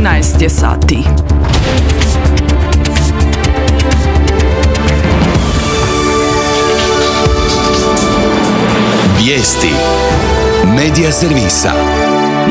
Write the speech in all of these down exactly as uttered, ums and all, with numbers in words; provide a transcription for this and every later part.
trinaest je sati. Vijesti Medija servisa.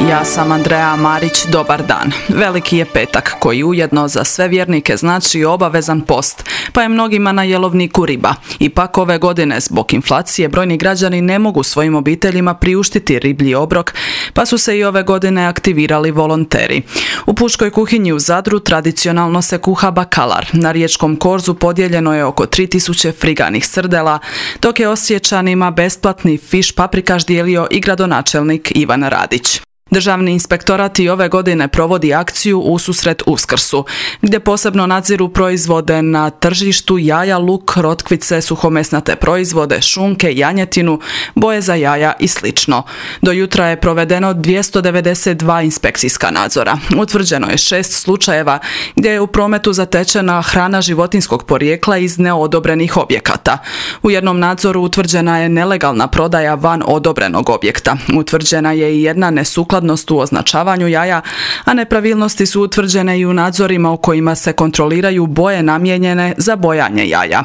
Ja sam Andreja Marić, dobar dan. Veliki je petak koji ujedno za sve vjernike znači obavezan post, pa je mnogima na jelovniku riba. Ipak ove godine zbog inflacije brojni građani ne mogu svojim obiteljima priuštiti riblji obrok, pa su se i ove godine aktivirali volonteri. U Pučkoj kuhinji u Zadru tradicionalno se kuha bakalar. Na riječkom korzu podijeljeno je oko tri tisuće friganih srdela, dok je Osječanima besplatni fiš paprikaš dijelio i gradonačelnik Ivan Radić. Državni inspektorat i ove godine provodi akciju ususret Uskrsu, gdje posebno nadziru proizvode na tržištu jaja, luk, rotkvice, suhomesnate proizvode, šunke, janjetinu, boje za jaja i slično. Do jutra je provedeno dvjesto devedeset dva inspekcijska nadzora. Utvrđeno je šest slučajeva gdje je u prometu zatečena hrana životinjskog porijekla iz neodobrenih objekata. U jednom nadzoru utvrđena je nelegalna prodaja van odobrenog objekta. Utvrđena je i jedna nesukladnost u označavanju jaja, a nepravilnosti su utvrđene i u nadzorima u kojima se kontroliraju boje namijenjene za bojanje jaja.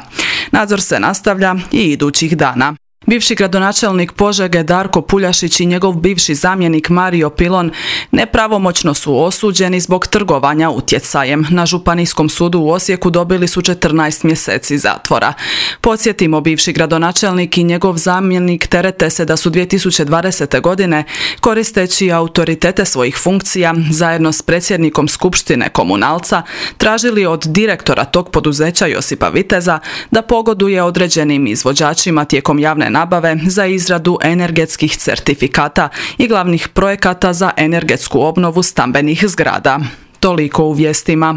Nadzor se nastavlja i idućih dana. Bivši gradonačelnik Požege Darko Puljašić i njegov bivši zamjenik Mario Pilon nepravomoćno su osuđeni zbog trgovanja utjecajem. Na Županijskom sudu u Osijeku dobili su četrnaest mjeseci zatvora. Podsjetimo, bivši gradonačelnik i njegov zamjenik terete se da su dvije tisuće dvadesete. godine, koristeći autoritete svojih funkcija, zajedno s predsjednikom Skupštine Komunalca, tražili od direktora tog poduzeća Josipa Viteza da pogoduje određenim izvođačima tijekom javne nabave za izradu energetskih certifikata i glavnih projekata za energetsku obnovu stambenih zgrada. Toliko u vijestima.